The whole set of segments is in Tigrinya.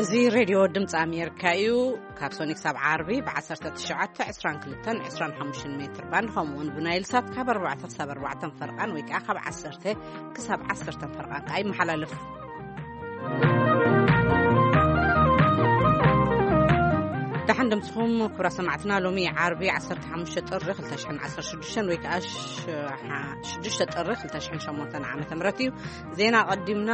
እዚ ሬድዮ ድምፂ ኣሜሪካ እዩ። ካብ ሶኒ ክሳብ ዓርቢ ብ1922 22 ሜትር ባንድ፣ ከምኡውን ብናይል ሳት ካብ ኣርባዕተ ክሳብ ኣርባዕተ ፈርቓን ወይ ከዓ ካብ ዓሰርተ ክሳብ ዓሰርተ ፈርቓን ከዓ ይመሓላለፍ። ደሓን ድምፅኹም ክብራ ሰማዕትና። ሎሚ ዓርቢ 15 ጥሪ 2016 ወይ ከዓ 6 ጥሪ 2008 ዓመተ ምህረት እዩ። ዜና ቀዲምና።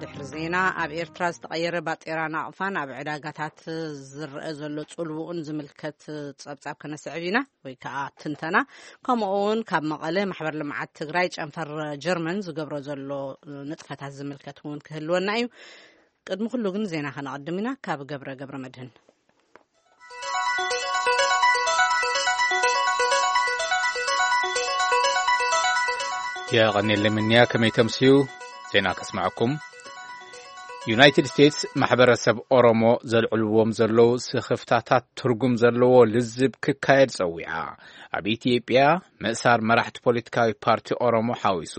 ድሕሪ ዜና፣ ኣብ ኤርትራ ዝተቐየረ ባጤራ ናቕፋን ኣብ ዕዳጋታት ዝረአ ዘሎ ጽልውኡን ዝምልከት ጸብጻብ ከነስዕብ ኢና፣ ወይ ከኣ ትንተና። ከምኡ እውን ካብ መቐለ ማሕበር ልምዓት ትግራይ ጨንፈር ጀርመን ዝገብሮ ዘሎ ንጥፈታት ዝምልከት እውን ክህልወና እዩ። ቅድሚ ኩሉ ግን ዜና ከነቐድም ኢና። ካብ ገብረ ገብረ መድህን። የቐኔለይ ምንያ፣ ከመይ ተምስዩ? ዜና ከስምዐኩም። ዩናይትድ ስቴትስ ማሕበረሰብ ኦሮሞ ዘልዕልዎም ዘለዉ ስኽፍታታት ትርጉም ዘለዎ ልዝብ ክካየድ ጸዊዓ። ኣብ ኢትዮጵያ ምእሳር መራሕቲ ፖለቲካዊ ፓርቲ ኦሮሞ ሓዊሱ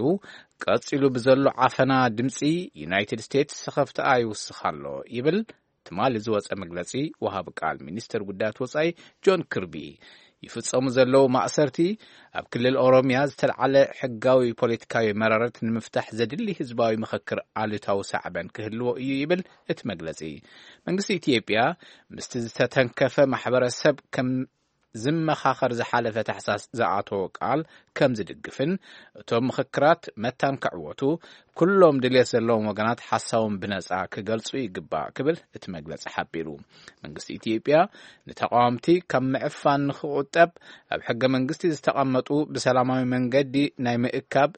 ቀጺሉ ብዘሎ ዓፈና ድምጺ ዩናይትድ ስቴትስ ስኽፍትኣ ይውስኽ ኣሎ ይብል ትማሊ ዝወጸ መግለጺ ወሃቢ ቃል ሚኒስተር ጉዳያት ወጻኢ ጆን ክርቢ። ይፍጸሙ ዘለዉ ማእሰርቲ ኣብ ክልል ኦሮምያ ዝተልዓለ ሕጋዊ ፖለቲካዊ መረረት ንምፍታሕ ዘድሊ ህዝባዊ ምኽክር ኣሉታዊ ሳዕበን ክህልዎ እዩ ይብል እቲ መግለጺ። መንግስቲ ኢትዮጵያ ምስቲ ዝተተንከፈ ማሕበረሰብ ከም ዝመኻኸር ዝሓለፈ ታሕሳስ ዝኣተዎ ቃል ከም ዝድግፍን እቶም ምኽክራት መታን ክዕወቱ ኩሎም ድልየት ዘለዎም ወገናት ሓሳቦም ብነጻ ክገልጹ ይግባእ ክብል እቲ መግለጺ ሓቢሩ። መንግስቲ ኢትዮጵያ ንተቃወምቲ ካብ ምዕፋን ንኽቁጠብ ኣብ ሕገ መንግስቲ ዝተቐመጡ ብሰላማዊ መንገዲ ናይ ምእካብ፣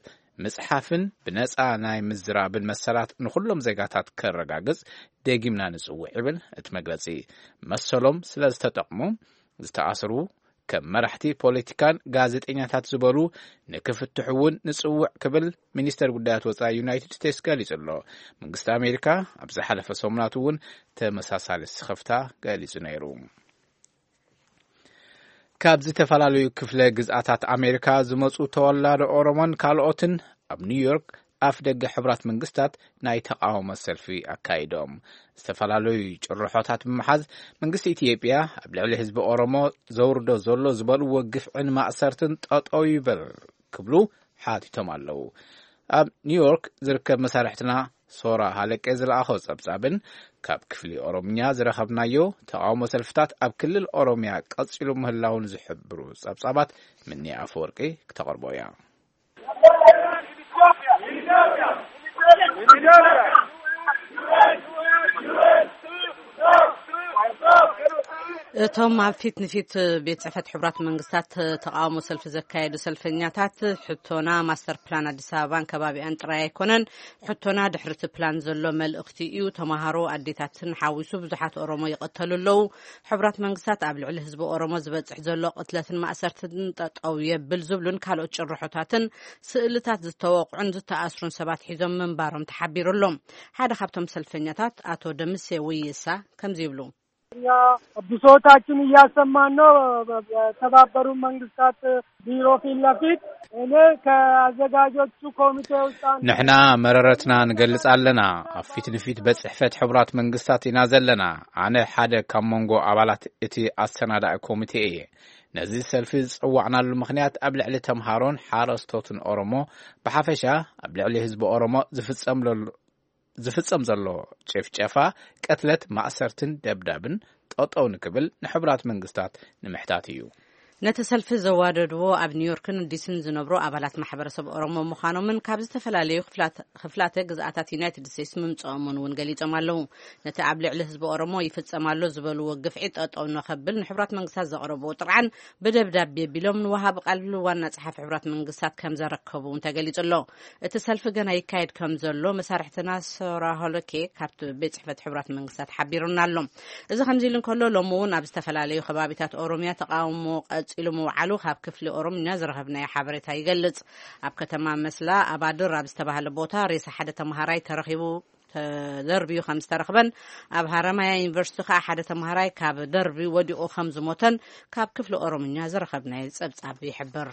ምጽሓፍን ብነጻ ናይ ምዝራብን መሰላት ንኹሎም ዜጋታት ከረጋግጽ ደጊምና ንጽውዕ ይብል እቲ መግለጺ። መሰሎም ስለ ዝተጠቕሙ ዝተኣስሩ ከም መራሕቲ ፖለቲካን ጋዜጠኛታት ዝበሉ ንክፍትሑ እውን ንጽውዕ ክብል ሚኒስተር ጉዳያት ወጻኢ ዩናይትድ ስቴትስ ገሊጹ ኣሎ። መንግስቲ ኣሜሪካ ኣብ ዝሓለፈ ሰሙናት እውን ተመሳሳሊ ስኽፍታ ገሊጹ ነይሩ። ካብ ዝተፈላለዩ ክፍለ ግዝኣታት ኣሜሪካ ዝመጹ ተወላዶ ኦሮሞን ካልኦትን ኣብ ኒውዮርክ ኣፍ ደገ ሕቡራት መንግስታት ናይ ተቃውሞ ሰልፊ ኣካይዶም። ዝተፈላለዩ ጭርሖታት ብምሓዝ መንግስቲ ኢትዮጵያ ኣብ ልዕሊ ህዝቢ ኦሮሞ ዘውርዶ ዘሎ ዝበልዎ ግፍዕን ማእሰርትን ጠጠው ይበል ክብሉ ሓቲቶም ኣለዉ። ኣብ ኒውዮርክ ዝርከብ መሳርሕትና ሶራ ሃለቄ ዝለኣኾ ጸብጻብን ካብ ክፍሊ ኦሮምኛ ዝረኸብናዮ ተቃውሞ ሰልፍታት ኣብ ክልል ኦሮምያ ቀጺሉ ምህላውን ዝሕብሩ ጸብጻባት ምኒ ኣፈወርቂ ክተቕርቦ እያ። እቶም ኣብ ፊት ንፊት ቤት ጽሕፈት ሕቡራት መንግስታት ተቃውሞ ሰልፊ ዘካየዱ ሰልፈኛታት፣ ሕቶና ማስተር ፕላን ኣዲስ ኣበባን ከባቢኣን ጥራይ ኣይኮነን፣ ሕቶና ድሕሪ እቲ ፕላን ዘሎ መልእኽቲ እዩ። ተማሃሮ፣ ኣዴታትን ሓዊሱ ብዙሓት ኦሮሞ ይቐተሉ ኣለዉ። ሕቡራት መንግስታት ኣብ ልዕሊ ህዝቢ ኦሮሞ ዝበጽሕ ዘሎ ቅትለትን ማእሰርትን ጠጠው የብል ዝብሉን ካልኦት ጭርሖታትን ስእልታት ዝተወቕዑን ዝተኣስሩን ሰባት ሒዞም ምንባሮም ተሓቢሩ ኣሎ። ሓደ ካብቶም ሰልፈኛታት ኣቶ ደምሴ ውይሳ ከምዚ ይብሉ። እኛ ብሶታችን እያሰማን ነው። በተባበሩ መንግስታት ቢሮ ፊት ለፊት እኔ ከአዘጋጆቹ ኮሚቴ ውስጥ አንዱ ንሕና መረረትና ንገልጽ ኣለና። ኣብ ፊት ንፊት ቤት ጽሕፈት ሕቡራት መንግስታት ኢና ዘለና። ኣነ ሓደ ካብ መንጎ ኣባላት እቲ ኣሰናዳኢ ኮሚቴ እየ። ነዚ ሰልፊ ዝጸዋዕናሉ ምኽንያት ኣብ ልዕሊ ተምሃሮን ሓረስቶትን ኦሮሞ ብሓፈሻ ኣብ ልዕሊ ህዝቢ ኦሮሞ ዝፍጸም ዘሎ ዝፍጸም ዘሎ ጭፍጨፋ፣ ቅትለት፣ ማእሰርትን ደብዳብን ጠጠው ንክብል ንሕቡራት መንግስታት ንምሕታት እዩ። ነቲ ሰልፊ ዘዋደድዎ ኣብ ኒውዮርክን ዲስን ዝነብሩ ኣባላት ማሕበረሰብ ኦሮሞ ምዃኖምን ካብ ዝተፈላለዩ ክፍላት-፣ ክፍላተ ግዝኣታት ዩናይትድ ስቴትስ ምምፅኦምን እውን ገሊጾም ኣለዉ። ነቲ ኣብ ልዕሊ ህዝቢ ኦሮሞ ይፍጸም ኣሎ ዝበልዎ ግፍዒ ጠጠው ንኸብል ንሕቡራት መንግስታት ዘቕረብዎ ጥርዓን ብደብዳቤ ቢሎም ንወሃቢ ቃል ዋና ጸሓፊ ሕቡራት መንግስታት ከም ዘረከቡ እውን ተገሊጹ ኣሎ። እቲ ሰልፊ ገና ይካየድ ከም ዘሎ መሳርሕትና ሶራ ሆሎኬ ካብቲ ቤት ጽሕፈት ሕቡራት መንግስታት ሓቢሩና ኣሎ። እዚ ከምዚ ኢሉ እንከሎ፣ ሎሚ እውን ኣብ ዝተፈላለዩ ከባቢታት ኦሮምያ ተቃውሞ ቀጺሉ ምውዓሉ ካብ ክፍሊ ኦሮምኛ ዝረኸብናዮ ሓበሬታ ይገልጽ። ኣብ ከተማ መስላ ኣባድር ኣብ ዝተባህለ ቦታ ሬሳ ሓደ ተምሃራይ ተረኺቡ ተደርብዩ ከም ዝተረኽበን፣ ኣብ ሃረማያ ዩኒቨርሲቲ ከኣ ሓደ ተምሃራይ ካብ ደርቢ ወዲቑ ከም ዝሞተን ካብ ክፍሊ ኦሮምኛ ዝረኸብናዮ ጸብጻብ ይሕብር።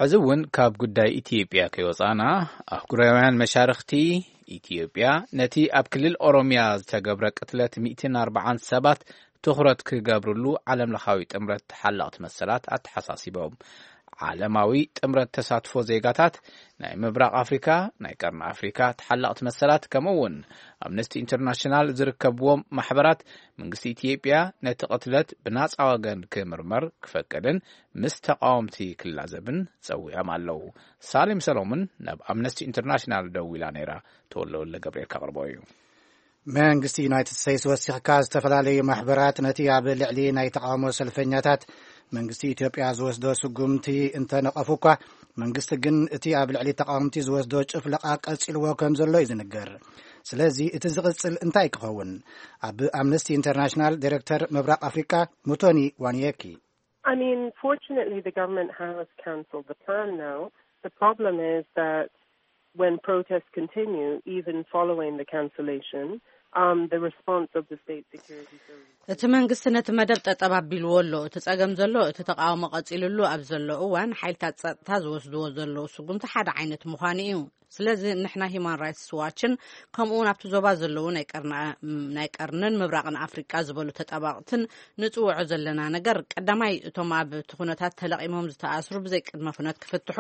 ሕዚ እውን ካብ ጉዳይ ኢትዮጵያ ከይወፃና፣ ኣህጉራውያን መሻርኽቲ ኢትዮጵያ ነቲ ኣብ ክልል ኦሮሚያ ዝተገብረ ቅትለት ሚእትን ኣርባዓን ሰባት ትኹረት ክገብርሉ ዓለም ለኻዊ ጥምረት ተሓለቕቲ መሰላት ኣተሓሳሲቦም። ዓለማዊ ጥምረት ተሳትፎ ዜጋታት ናይ ምብራቕ ኣፍሪካ፣ ናይ ቀርኒ ኣፍሪካ ተሓለቕቲ መሰላት፣ ከምኡ እውን ኣምነስቲ ኢንተርናሽናል ዝርከብዎም ማሕበራት፣ መንግስቲ ኢትዮጵያ ነቲ ቅትለት ብናፃ ወገን ክምርመር ክፈቅድን ምስ ተቃወምቲ ክላዘብን ጸዊዖም ኣለዉ። ሳሌም ሰሎሞን ናብ ኣምነስቲ ኢንተርናሽናል ደዊላ ነይራ። ተወልደ ወልደ ገብርኤል ከቕርቦ እዩ። መንግስቲ ዩናይትድ ስቴትስ ወሲኽካ፣ ዝተፈላለዩ ማሕበራት ነቲ ኣብ ልዕሊ ናይ ተቃውሞ ሰልፈኛታት መንግስቲ ኢትዮጵያ ዝወስዶ ስጉምቲ እንተነቐፉ እኳ፣ መንግስቲ ግን እቲ ኣብ ልዕሊ ተቃወምቲ ዝወስዶ ጭፍለቓ ቀጺልዎ ከም ዘሎ እዩ ዝንገር። ስለዚ እቲ ዝቕጽል እንታይ ክኸውን? ኣብ ኣምነስቲ ኢንተርናሽናል ዳይሬክተር ምብራቕ ኣፍሪቃ ሙቶኒ ዋንየኪ። I mean, fortunately, the government has cancelled the plan now. The problem is that when protests continue, even following the cancellation, um, the response of the state security services. እቲ መንግስቲ ነቲ መደብ ጠጠብ ኣቢልዎ ኣሎ። እቲ ጸገም ዘሎ፣ እቲ ተቃውሞ ቀጺሉሉ ኣብ ዘሎ እዋን፣ ሓይልታት ጸጥታ ዝወስድዎ ዘለዉ ስጉምቲ ሓደ ዓይነት ምዃኑ እዩ። ስለዚ ንሕና ሂማን ራይትስ ዋችን፣ ከምኡ እውን ኣብቲ ዞባ ዘለዉ ናይ ቀርና-፣ ናይ ቀርንን ምብራቕን ኣፍሪቃ ዝበሉ ተጣባቕትን ንጽውዖ ዘለና ነገር፣ ቀዳማይ፣ እቶም ኣብቲ ኩነታት ተለቒሞም ዝተኣስሩ ብዘይ ቅድመ ኩነት ክፍትሑ፣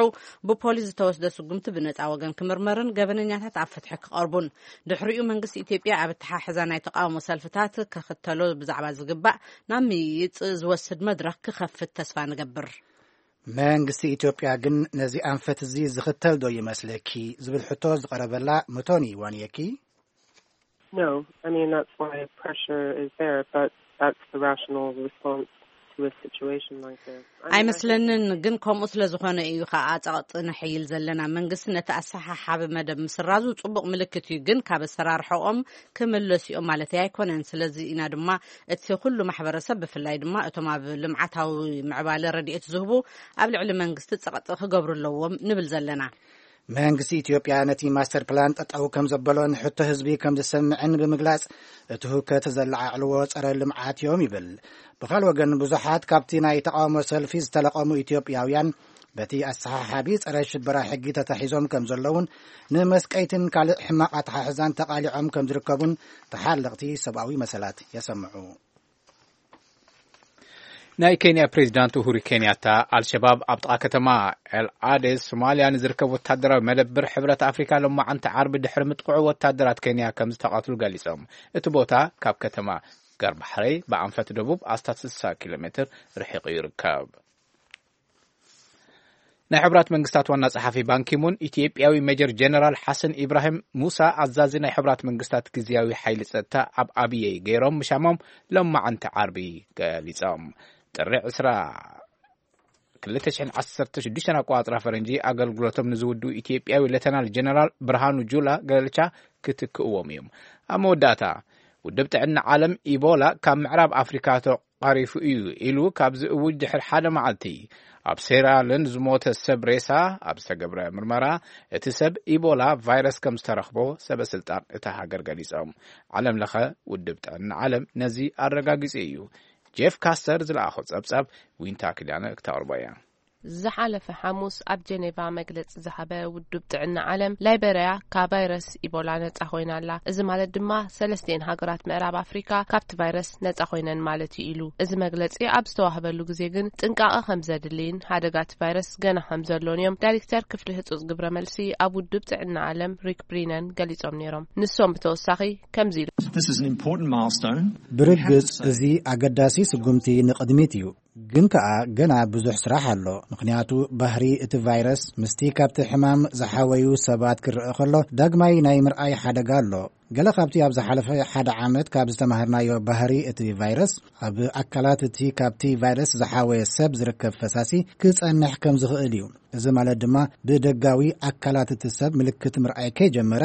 ብፖሊስ ዝተወስደ ስጉምቲ ብነጻ ወገን ክምርመርን ገበነኛታት ኣብ ፍትሒ ክቐርቡን። ድሕሪኡ መንግስቲ ኢትዮጵያ ኣብ ኣተሓሕዛ ናይ ተቃውሞ ሰልፍታት ክኽተሎ ብዛዕባ ዝግባእ ናብ ምይይጥ ዝወስድ መድረኽ ክኸፍት ተስፋ ንገብር። መንግስቲ ኢትዮጵያ ግን ነዚ ኣንፈት እዚ ዝኽተል ዶ ይመስለኪ ዝብል ሕቶ ዝቐረበላ መቶኒ ዋንየኪ፣ No, I mean, that's why pressure is there, but that's the rational response to a situation like this. I mean, I think ኣይመስለንን፣ ግን ከምኡ ስለ ዝኾነ እዩ ከዓ ጸቕጢ ነሐይል ዘለና። መንግስቲ ነቲ ኣሰሓሓቢ መደብ ምስራዙ ጽቡቕ ምልክት እዩ፣ ግን ካብ ኣሰራርሖኦም ክምለሱ እዮም ማለት ኣይኮነን። ስለዚ ኢና ድማ እቲ ኩሉ ማሕበረሰብ፣ ብፍላይ ድማ እቶም ኣብ ልምዓታዊ ምዕባለ ረድኤት ዝህቡ፣ ኣብ ልዕሊ መንግስቲ ጸቕጢ ክገብሩ ኣለዎም ንብል ዘለና። መንግስቲ ኢትዮጵያ ነቲ ማስተር ፕላን ጠጠው ከም ዘበሎን ሕቶ ህዝቢ ከም ዝሰምዕን ብምግላጽ፣ እቲ ህውከት ዘለዓዕልዎ ጸረ ልምዓት እዮም ይብል። ብኻል ወገን፣ ብዙሓት ካብቲ ናይ ተቃውሞ ሰልፊ ዝተለቐሙ ኢትዮጵያውያን በቲ ኣሰሓሓቢ ጸረ ሽበራ ሕጊ ተታሒዞም ከም ዘለውን ንመስቀይትን ካልእ ሕማቕ ኣተሓሕዛን ተቓሊዖም ከም ዝርከቡን ተሓለቕቲ ሰብኣዊ መሰላት የሰምዑ። ናይ ኬንያ ፕሬዚዳንት ኡሁሩ ኬንያታ፣ ኣልሸባብ ኣብ ጥቓ ከተማ ኤል ኣዴስ ሶማልያ ንዝርከብ ወታደራዊ መደብር ሕብረት ኣፍሪካ ሎማዓንቲ ዓርቢ ድሕሪ ምጥቕዑ፣ ወታደራት ኬንያ ከም ዝተቐትሉ ገሊጾም። እቲ ቦታ ካብ ከተማ ገርባሕረይ ብኣንፈት ደቡብ ኣስታት ስሳ ኪሎ ሜትር ርሒቑ ይርከብ። ናይ ሕቡራት መንግስታት ዋና ጸሓፊ ባንኪሙን፣ ኢትዮጵያዊ ሜጀር ጀነራል ሓሰን ኢብራሂም ሙሳ፣ ኣዛዚ ናይ ሕቡራት መንግስታት ግዝያዊ ሓይሊ ጸጥታ ኣብ ኣብየይ ገይሮም ምሻሞም ሎማዓንቲ ዓርቢ ገሊጾም። ጥሪ ዕስራ፣ ክልተ ሽሕን ዓሰርተ ሽዱሽተን ኣቆጻጽራ ፈረንጂ ኣገልግሎቶም ንዝውድኡ ኢትዮጵያዊ ሌተናል ጀነራል ብርሃኑ ጁላ ገለልቻ ክትክእዎም እዮም። ኣብ መወዳእታ፣ ውድብ ጥዕና ዓለም፣ ኢቦላ ካብ ምዕራብ ኣፍሪካ ተቓሪፉ እዩ ኢሉ ካብ ዝእውጅ ድሕሪ ሓደ መዓልቲ፣ ኣብ ሴራልን ዝሞተ ሰብ ሬሳ ኣብ ዝተገብረ ምርመራ፣ እቲ ሰብ ኢቦላ ቫይረስ ከም ዝተረኽቦ ሰበ ስልጣን እታ ሃገር ገሊጾም። ዓለም ለኸ ውድብ ጥዕና ዓለም ነዚ ኣረጋጊጹ እዩ። ጄፍ ካስተር ዝለኣኾ ጸብጻብ ዊንታ ኪዳነ ክተቕርቦ እያ። ዝሓለፈ ሓሙስ ኣብ ጀኔቫ መግለጺ ዝሃበ ውድብ ጥዕና ዓለም፣ ላይበርያ ካብ ቫይረስ ኢቦላ ነጻ ኮይና ኣላ። እዚ ማለት ድማ ሰለስቲኤን ሃገራት ምዕራብ ኣፍሪካ ካብቲ ቫይረስ ነጻ ኮይነን ማለት እዩ ኢሉ። እዚ መግለጺ ኣብ ዝተዋህበሉ ግዜ ግን ጥንቃቐ ከም ዘድልይን ሓደጋ እቲ ቫይረስ ገና ከም ዘሎን እዮም ዳይሬክተር ክፍሊ ህጹጽ ግብረ መልሲ ኣብ ውድብ ጥዕና ዓለም ሪክ ብሪነን ገሊጾም ነይሮም። ንሶም ብተወሳኺ ከምዚ ኢሉ። This is an important milestone. ብርግጽ እዚ ኣገዳሲ ስጉምቲ ንቕድሚት እዩ። ግን ከኣ ገና ብዙሕ ስራሕ ኣሎ። ምኽንያቱ ባህሪ እቲ ቫይረስ ምስቲ ካብቲ ሕማም ዝሓወዩ ሰባት ክረአ ከሎ ዳግማይ ናይ ምርኣይ ሓደጋ ኣሎ። ገለ ካብቲ ኣብ ዝሓለፈ ሓደ ዓመት ካብ ዝተማህርናዮ ባህሪ እቲ ቫይረስ፣ ኣብ ኣካላት እቲ ካብቲ ቫይረስ ዝሓወየ ሰብ ዝርከብ ፈሳሲ ክጸንሕ ከም ዝኽእል እዩ። እዚ ማለት ድማ ብደጋዊ ኣካላት እቲ ሰብ ምልክት ምርኣይ ከይጀመረ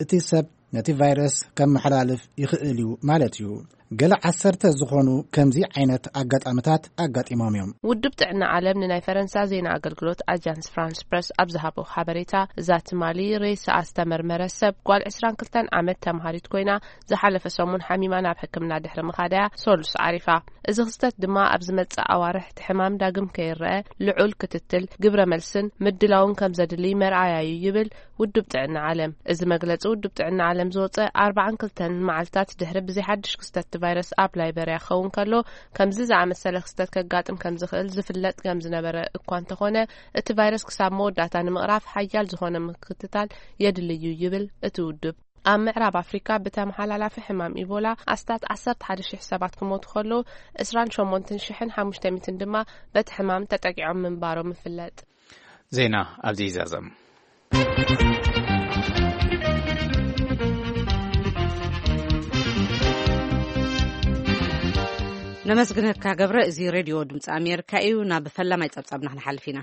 እቲ ሰብ ነቲ ቫይረስ ከመሓላልፍ ይኽእል እዩ ማለት እዩ። ገለ ዓሰርተ ዝኾኑ ከምዚ ዓይነት ኣጋጣምታት ኣጋጢሞም እዮም። ውድብ ጥዕና ዓለም ንናይ ፈረንሳ ዜና ኣገልግሎት ኣጃንስ ፍራንስ ፕረስ ኣብ ዝሃቦ ሓበሬታ፣ እዛ ትማሊ ሬሳኣ ዝተመርመረ ሰብ ጓል ዕስራን ክልተን ዓመት ተምሃሪት ኮይና፣ ዝሓለፈ ሰሙን ሓሚማ ናብ ሕክምና ድሕሪ ምኻዳያ ሰሉስ ዓሪፋ። እዚ ክስተት ድማ ኣብ ዝመጽእ ኣዋርሕ እቲ ሕማም ዳግም ከይረአ ልዑል ክትትል፣ ግብረ መልስን ምድላውን ከም ዘድሊ መርኣያ እዩ ይብል ውድብ ጥዕና ዓለም። እዚ መግለጺ ውድብ ጥዕና ዓለም ዝወጸ ኣርባዓን ክልተን መዓልታት ድሕሪ ብዘይ ሓድሽ ክስተት እቲ ቫይረስ ኣብ ላይበርያ ክኸውን ከሎ፣ ከምዚ ዝኣመሰለ ክስተት ከጋጥም ከም ዝኽእል ዝፍለጥ ከም ዝነበረ እኳ እንተኾነ፣ እቲ ቫይረስ ክሳብ መወዳእታ ንምቕራፍ ሓያል ዝኾነ ምክትታል የድሊ እዩ ይብል እቲ ውድብ። ኣብ ምዕራብ ኣፍሪካ ብተመሓላላፊ ሕማም ኢቦላ ኣስታት ዓሰርተ ሓደ ሺሕ ሰባት ክሞቱ ከለዉ፣ ዕስራን ሸሞንተን ሽሕን ሓሙሽተ ሚእትን ድማ በቲ ሕማም ተጠቂዖም ምንባሮም ይፍለጥ። ዜና ኣብዚ ይዛዘም። ነመስግነካ ገብረ። እዚ ሬድዮ ድምፂ ኣሜሪካ እዩ። ናብ ፈላማይ ፀብፃብና ክንሓልፍ ኢና።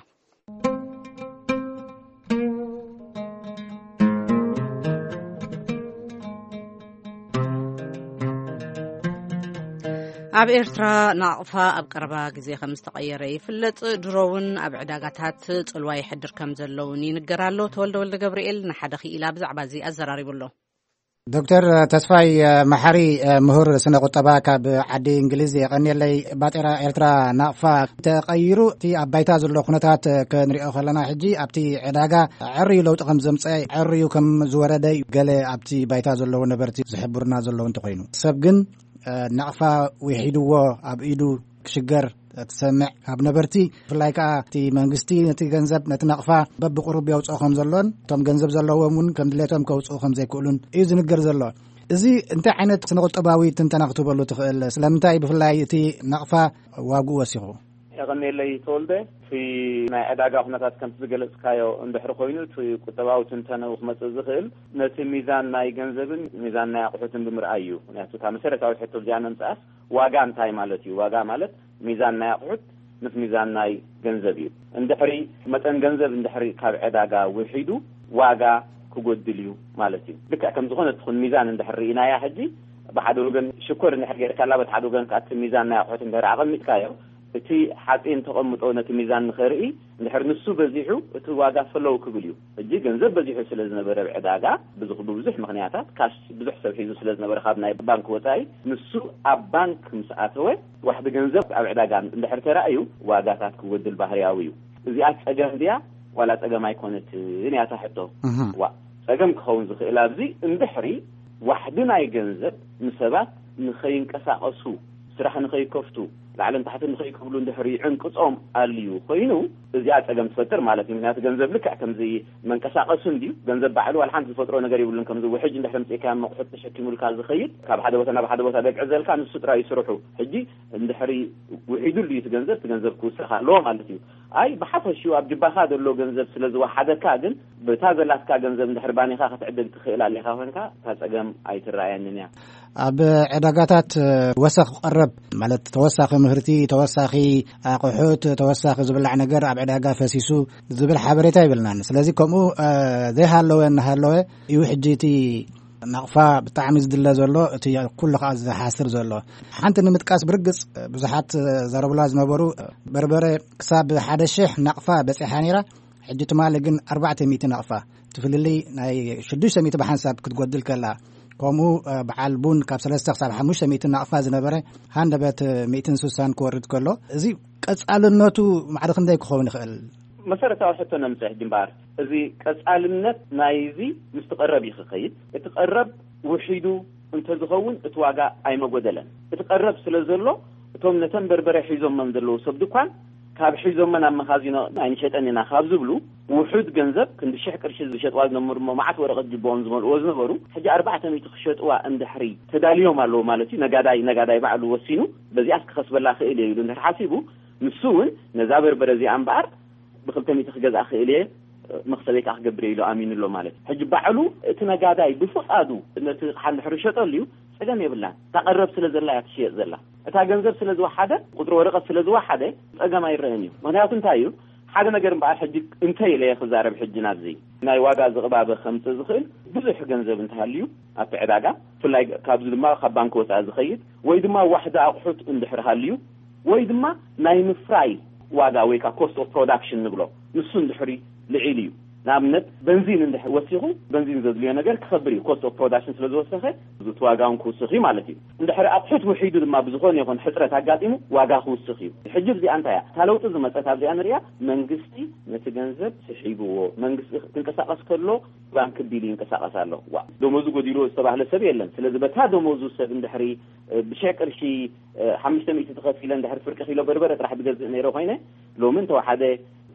ኣብ ኤርትራ ናቕፋ ኣብ ቀረባ ግዜ ከም ዝተቐየረ ይፍለጥ። ድሮ እውን ኣብ ዕዳጋታት ጽልዋ ይሕድር ከም ዘሎ እውን ይንገር ኣሎ። ተወልደ ወልደ ገብርኤል ንሓደ ክኢላ ብዛዕባ እዚ ኣዘራሪቡ ኣሎ። ዶክተር ተስፋይ መሓሪ፣ ምሁር ስነ ቁጠባ ካብ ዓዲ እንግሊዝ፣ የቐንየለይ። ባጤራ ኤርትራ ናቕፋ ተቐይሩ፣ እቲ ኣብ ባይታ ዘሎ ኩነታት ክንሪኦ ከለና፣ ሕጂ ኣብቲ ዕዳጋ ዕርዩ ለውጢ ከም ዘምፀ፣ ዕርዩ ከም ዝወረደ እዩ ገለ ኣብቲ ባይታ ዘለዉ ነበርቲ ዝሕብሩና ዘለዉ እንተኾይኑ፣ ሰብ ግን ናቕፋ ውሒድዎ ኣብ ኢዱ ክሽገር ትሰምዕ ካብ ነበርቲ። ብፍላይ ከዓ እቲ መንግስቲ ነቲ ገንዘብ፣ ነቲ ናቕፋ በብቁሩብ የውፅኦ ከም ዘሎን፣ እቶም ገንዘብ ዘለዎም እውን ከም ድሌቶም ከውፅኡ ከም ዘይክእሉን እዩ ዝንገር ዘሎ። እዚ እንታይ ዓይነት ስነ ቁጠባዊ ትንተና ክትበሉ ትኽእል? ስለምንታይ ብፍላይ እቲ ናቕፋ ዋግኡ ወሲኹ? የቐንየለይ ተወልደ። እቲ ናይ ዕዳጋ ኩነታት ከምቲ ዝገለጽካዮ እንድሕሪ ኮይኑ፣ እቲ ቁጠባዊ ትንተነኡ ክመጽእ ዝኽእል ነቲ ሚዛን ናይ ገንዘብን ሚዛን ናይ ኣቑሑትን ብምርኣይ እዩ። ምክንያቱ እታ መሰረታዊት ሕቶ እዚኣ ነምጽኣስ፣ ዋጋ እንታይ ማለት እዩ? ዋጋ ማለት ሚዛን ናይ ኣቑሑት ምስ ሚዛን ናይ ገንዘብ እዩ። እንድሕሪ መጠን ገንዘብ እንድሕሪ ካብ ዕዳጋ ውሒዱ፣ ዋጋ ክጎድል እዩ ማለት እዩ። ልክዕ ከም ዝኾነት ትኹን ሚዛን እንድሕር ርኢናያ፣ ሕጂ ብሓደ ወገን ሽኮር እንድሕር ጌርካላ፣ በቲ ሓደ ወገን ከኣ እቲ ሚዛን ናይ ኣቑሑት እንድሕር ኣቐሚጥካዮ፣ እቲ ሓፂን ተቐምጦ ነቲ ሚዛን ንኸርኢ፣ እንድሕር ንሱ በዚሑ፣ እቲ ዋጋ ፈለው ክብል እዩ። ሕጂ ገንዘብ በዚሑ ስለ ዝነበረ ኣብ ዕዳጋ፣ ብዙ፣ ብብዙሕ ምኽንያታት ካሽ ብዙሕ ሰብ ሒዙ ስለ ዝነበረ ካብ ናይ ባንክ ወፃኢ፣ ንሱ ኣብ ባንክ ምስ ኣተወ፣ ዋሕዲ ገንዘብ ኣብ ዕዳጋ እንድሕር ተራእዩ፣ ዋጋታት ክጎድል ባህርያዊ እዩ። እዚኣ ጸገም ድያ ዋላ ጸገም ኣይኮነትን እያ እታ ሕቶ። እህ። ዋ፣ ጸገም ክኸውን ዝኽእል ኣብዚ እንድሕሪ ዋሕዲ ናይ ገንዘብ ንሰባት ንኸይንቀሳቐሱ፣ ስራሕ ንኸይከፍቱ፣ ላዕልን ታሕትን ንኸይክብሉ እንድሕሪ ይዕንቅጾም ኣልዩ ኮይኑ፣ እዚኣ ጸገም ትፈጥር ማለት እዩ። ምክንያቱ ገንዘብ ልክዕ ከምዚ መንቀሳቐሱ እንድዩ። ገንዘብ ባዕሉ ዋላ ሓንቲ ዝፈጥሮ ነገር የብሉን። ከምዚ ውሕጅ እንድሕሪ ኣምጺእካዮ መቑሑት ተሸኪሙልካ ዝኸይድ፣ ካብ ሓደ ቦታ ናብ ሓደ ቦታ ደግዕዘልካ፣ ንሱ ጥራይ እዩ ስርሑ። ሕጂ እንድሕሪ ውሒዱ እንድዩ እቲ ገንዘብ፣ እቲ ገንዘብ ክውሰኽ ኣለዎ ማለት እዩ። ኣይ፣ ብሓፈሽኡ ኣብ ጅባኻ ዘሎ ገንዘብ ስለ ዝወሓደካ ግን፣ በታ ዘላትካ ገንዘብ እንድሕር ባኒኻ ክትዕድግ ትኽእል ኣሊኻ ኮንካ፣ እታ ጸገም ኣይትረኣየንን እያ። ኣብ ዕዳጋታት፣ እ፣ ወሰኽ ቀረብ፣ ማለት ተወሳኺ ምህርቲ፣ ተወሳኺ ኣቑሑት፣ ተወሳኺ ዝብላዕ ነገር ኣብ ዕዳጋ ፈሲሱ ዝብል ሓበሬታ ይብልናን። ስለዚ ከምኡ፣ እ፣ ዘይሃለወ እናሃለወ እዩ ሕጂ እቲ ናቕፋ ብጣዕሚ ዝድለ ዘሎ፣ እቲ ኩሉ ከዓ ዝሓስር ዘሎ። ሓንቲ ንምጥቃስ ብርግጽ ብዙሓት ዘረብላ ዝነበሩ፣ በርበረ ክሳብ ሓደ ሽሕ ናቕፋ በጺሓ ነይራ። ሕጂ ትማሊ ግን ኣርባዕተ ሚእቲ ናቕፋ፣ እቲ ፍልልይ ናይ ሽዱሽተ ሚእቲ ብሓንሳብ ክትጎድል ከላ፣ ከምኡ፣ እ፣ በዓል ቡን ካብ ሰለስተ ክሳብ ሓሙሽተ ሚእቲ ናቕፋ ዝነበረ፣ ሃንደበት ሚእትን ስሳን ክወርድ ከሎ፣ እዚ ቀጻልነቱ ማዕረ ክንደይ ክኸውን ይኽእል? መሰረታዊ ሕቶ ነምጽእ ሕጂ እምበኣር፣ እዚ ቀጻልነት ናይዚ ምስቲ ቀረብ እዩ ክኸይድ። እቲ ቀረብ ውሒዱ እንተዝኸውን እቲ ዋጋ ኣይመጎደለን። እቲ ቀረብ ስለ ዘሎ፣ እቶም ነተን በርበረ ሒዞመን ዘለዉ ሰብ ድኳን፣ ካብ ሒዞመን ኣብ መኻዚኖ ኣይንሸጠን ኢና ካብ ዝብሉ፣ ውሑድ ገንዘብ ክንዲ ሽሕ ቅርሺ ዝሸጥዋ ዝነበሩ፣ እሞ መዓት ወረቐት ጅቦኦም ዝመልእዎ ዝነበሩ፣ ሕጂ ኣርባዕተ ሚእቲ ክሸጥዋ እንድሕሪ ተዳልዮም ኣለዉ ማለት እዩ። ነጋዳይ፣ ነጋዳይ ባዕሉ ወሲኑ፣ በዚኣስ ክኸስበላ ክእል እየ ኢሉ እንድሕር ሓሲቡ፣ ንሱ እውን ነዛ በርበረ እዚኣ እምበኣር ብክልተ ሚእቲ ክገዝኣ ክእል እየ፣ መኽሰበይ ከዓ ክገብር እየ ኢሉ ኣሚኑ ኣሎ ማለት እዩ። ሕጂ ባዕሉ እቲ ነጋዳይ ብፍቓዱ ነቲ ኣቕሓ እንድሕር ይሸጠሉ እዩ፣ ጸገም የብላን። እታ ቀረብ ስለ ዘላ እያ ትሽየጥ ዘላ። እታ ገንዘብ ስለ ዝወሓደ፣ ቁጽሪ ወረቐት ስለ ዝወሓደ፣ ጸገም ኣይረአን እዩ። ምኽንያቱ እንታይ እዩ? ሓደ ነገር እምበኣር ሕጂ እንተ ኢለ እየ ክዛረብ፣ ሕጂ ናብዚ ናይ ዋጋ ዝቕባበ ከምጽእ ዝኽእል ብዙሕ ገንዘብ እንተሃልዩ ኣብቲ ዕዳጋ፣ ብፍላይ ካብዚ ድማ ካብ ባንክ ወፃኢ ዝኸይድ ወይ ድማ ዋሕዲ ኣቑሑት እንድሕር ሃልዩ ወይ ድማ ናይ ምፍራይ ዋጋ ወይ ከዓ ኮስት ኦፍ ፕሮዳክሽን ንብሎ፣ ንሱ እንድሕሪ ልዒል እዩ። ንኣብነት በንዚን እንድሕር ወሲኹ፣ በንዚን ዘድልዮ ነገር ክኸብር እዩ። ኮስት ኦፍ ፕሮዳክሽን ስለ ዝወሰኸ እቲ ዋጋ እውን ክውስኽ እዩ ማለት እዩ። እንድሕር ኣቑሑት ውሒዱ ድማ ብዝኾነ ይኹን ሕፅረት ኣጋጢሙ ዋጋ ክውስኽ እዩ። ሕጂ እዚኣ እንታይ እያ? እታ ለውጢ ዝመፀት ኣብዚኣ ንሪኣ፣ መንግስቲ ነቲ ገንዘብ ስሒብዎ። መንግስቲ ክንቀሳቐስ ከሎ ባንክ ቢል ይንቀሳቐስ ኣሎ። ዋ፣ ደሞዙ ጎዲልዎ ዝተባህለ ሰብ የለን። ስለዚ በታ ደሞዙ ሰብ እንድሕሪ ብሽሕ ቅርሺ ሓሙሽተ ሚእቲ ተኸፊለ እንድሕር ፍርቂ ኪሎ በርበረ ጥራሕ ዝገዝእ ነይረ ኮይነ፣ ሎሚ እንተወሓደ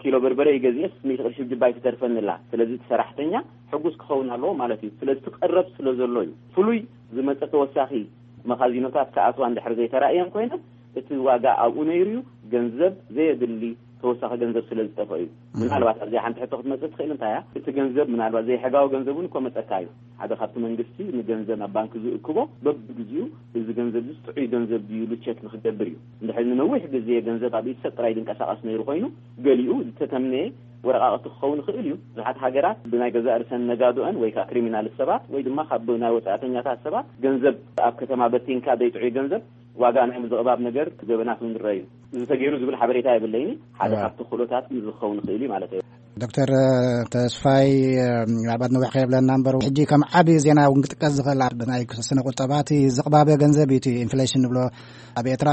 ኪሎ በርበረ ይገዝእስ ሚእቲ ቅርሺ ጅባይ ትተርፈኒ ኣላ። ስለዚ እቲ ሰራሕተኛ ሕጉስ ክኸውን ኣለዎ ማለት እዩ። ስለዚ እቲ ቀረብ ስለ ዘሎ እዩ። ፍሉይ ዝመፀ ተወሳኺ መኻዚኖታት ክኣትዋ እንድሕር ዘይተራእየን ኮይነ፣ እቲ ዋጋ ኣብኡ ነይሩ እዩ። ገንዘብ ዘየድሊ ተወሳኺ ገንዘብ ስለ ዝጠፍኦ እዩ። ምናልባት ኣብዚኣ ሓንቲ ሕቶ ክትመጽእ ትኽእል እንታይ እያ? እቲ ገንዘብ ምናልባት ዘይሕጋዊ ገንዘብ እውን እኮ መጸካ እዩ። ሓደ ካብቲ መንግስቲ ንገንዘብ ናብ ባንክ ዝእክቦ በብግዜኡ እዚ ገንዘብ እዚ ጥዑይ ገንዘብ ድዩ ኢሉ ቸክ ንክገብር እዩ። እንድሕር ንነዊሕ ግዜ ገንዘብ ኣብ ኢድ ሰብ ጥራይ ዝንቀሳቐስ ነይሩ ኮይኑ፣ ገሊኡ ዝተተምነየ ወረቃቕቲ ክኸውን ይኽእል እዩ። ብዙሓት ሃገራት ብናይ ገዛእ ርእሰን ነጋዶአን ወይ ከዓ ክሪሚናል ሰባት ወይ ድማ ካብ ናይ ወፃእተኛታት ሰባት ገንዘብ ኣብ ከተማ በቲንካ ዘይጥዑይ ገንዘብ ዋጋ ናይ ምዝቕባብ ነገር ገበናት እውን ይረኣዩ። እዚ ተገይሩ ዝብል ሓበሬታ የብለይኒ። ሓደ እዋ። ካብቲ ክእሎታት ዝኸውን ይኽእል እዩ ማለት እዩ። ዶክተር ተስፋይ፣ ምናልባት ነዊሕ ከየብለና እምበር፣ ሕጂ ከም ዓቢ ዜና እውን ክጥቀስ ዝኽእል ኣብ ናይ ስነ ቁጠባ እቲ ዝቕባበ ገንዘብ እዩ፣ እቲ ኢንፍሌሽን ንብሎ። ኣብ ኤርትራ